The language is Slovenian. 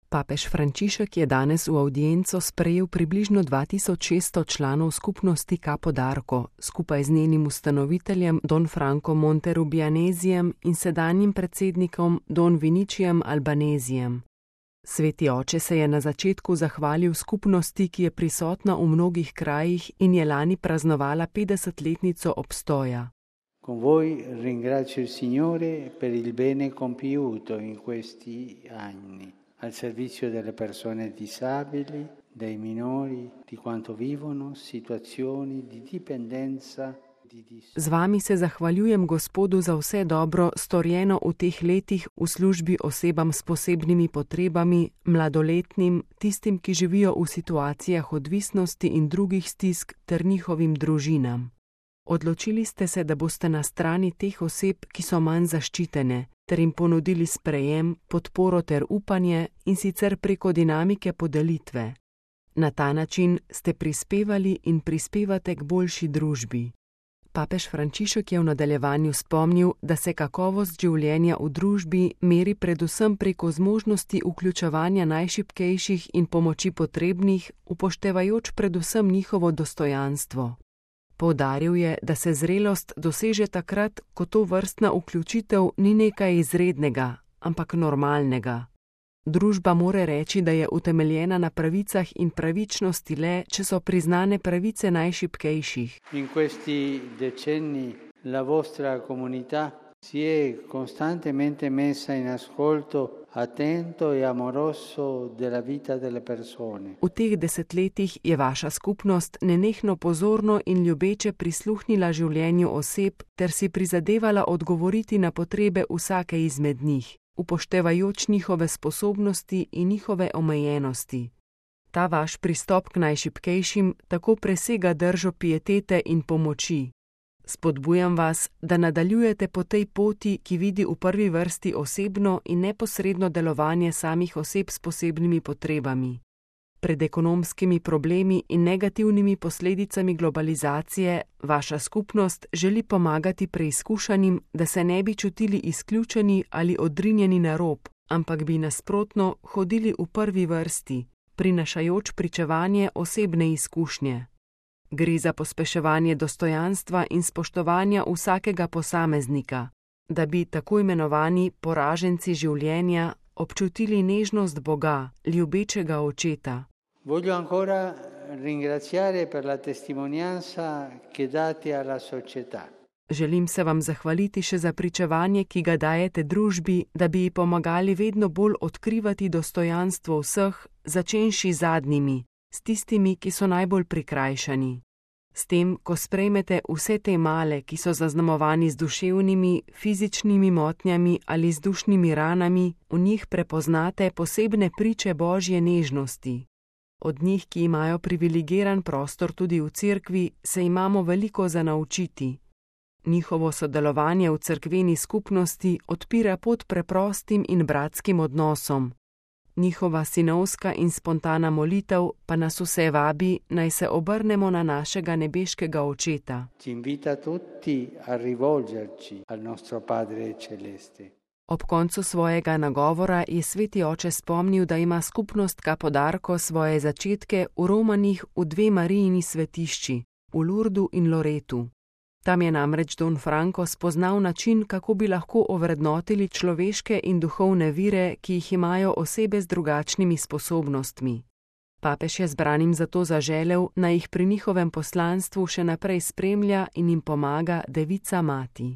Papež Frančišek je danes v avdienco sprejel približno 2600 članov skupnosti Capo d'Arco, skupaj z njenim ustanoviteljem Don Franco Monterubianesijem in sedanjim predsednikom Don Vinicijem Albanezijem. Sveti oče se je na začetku zahvalil skupnosti, ki je prisotna v mnogih krajih in je lani praznovala 50-letnico obstoja. Con voi ringrazio il Signore per il bene compiuto in questi anni, al servizio delle persone disabili, dei minori, di quanto vivono situazioni di dipendenza. Z vami se zahvaljujem Gospodu za vse dobro, storjeno v teh letih v službi osebam s posebnimi potrebami, mladoletnim, tistim, ki živijo v situacijah odvisnosti in drugih stisk, ter njihovim družinam. Odločili ste se, da boste na strani teh oseb, ki so manj zaščitene, ter jim ponudili sprejem, podporo ter upanje, in sicer preko dinamike podelitve. Na ta način ste prispevali in prispevate k boljši družbi. Papež Frančišek je v nadaljevanju spomnil, da se kakovost življenja v družbi meri predvsem preko zmožnosti vključevanja najšibkejših in pomoči potrebnih, upoštevajoč predvsem njihovo dostojanstvo. Poudaril je, da se zrelost doseže takrat, ko tovrstna vključitev ni nekaj izrednega, ampak normalnega. Družba mora reči, da je utemeljena na pravicah in pravičnosti le, če so priznane pravice najšibkejših. In questi decenni la vostra comunità si è costantemente messa in ascolto attento e amoroso della vita delle persone. V teh desetletjih je vaša skupnost nenehno pozorno in ljubeče prisluhnila življenju oseb ter si prizadevala odgovoriti na potrebe vsake izmed njih, upoštevajoč njihove sposobnosti in njihove omejenosti. Ta vaš pristop k najšibkejšim tako presega držo pietete in pomoči. Spodbujam vas, da nadaljujete po tej poti, ki vidi v prvi vrsti osebno in neposredno delovanje samih oseb s posebnimi potrebami. Pred ekonomskimi problemi in negativnimi posledicami globalizacije vaša skupnost želi pomagati preizkušanim, da se ne bi čutili izključeni ali odrinjeni na rob, ampak bi nasprotno hodili v prvi vrsti, prinašajoč pričevanje osebne izkušnje. Gre za pospeševanje dostojanstva in spoštovanja vsakega posameznika, da bi tako imenovani poraženci življenja občutili nežnost Boga, ljubečega očeta. Voglio ancora ringraziare per la testimonianza che date alla società. Želim se vam zahvaliti še za pričevanje, ki ga dajete družbi, da bi ji pomagali vedno bolj odkrivati dostojanstvo vseh, začenši zadnjimi, s tistimi, ki so najbolj prikrajšani. S tem, ko sprejmete vse te male, ki so zaznamovani z duševnimi, fizičnimi motnjami ali z dušnimi ranami, v njih prepoznate posebne priče Božje nežnosti. Od njih, ki imajo privilegiran prostor tudi v cerkvi, se imamo veliko za naučiti. Njihovo sodelovanje v cerkveni skupnosti odpira pot preprostim in bratskim odnosom. Njihova sinovska in spontana molitev pa nas vse vabi, naj se obrnemo na našega nebeškega očeta. Ci invita tutti a rivolgerci al nostro Padre Celeste. Ob koncu svojega nagovora je sveti oče spomnil, da ima skupnost Capo d'Arco svoje začetke v romanih v dve Marijini svetišči, v Lurdu in Loretu. Tam je namreč Don Franco spoznal način, kako bi lahko ovrednotili človeške in duhovne vire, ki jih imajo osebe z drugačnimi sposobnostmi. Papež je zbranim zato zaželel, naj jih pri njihovem poslanstvu še naprej spremlja in jim pomaga Devica Mati.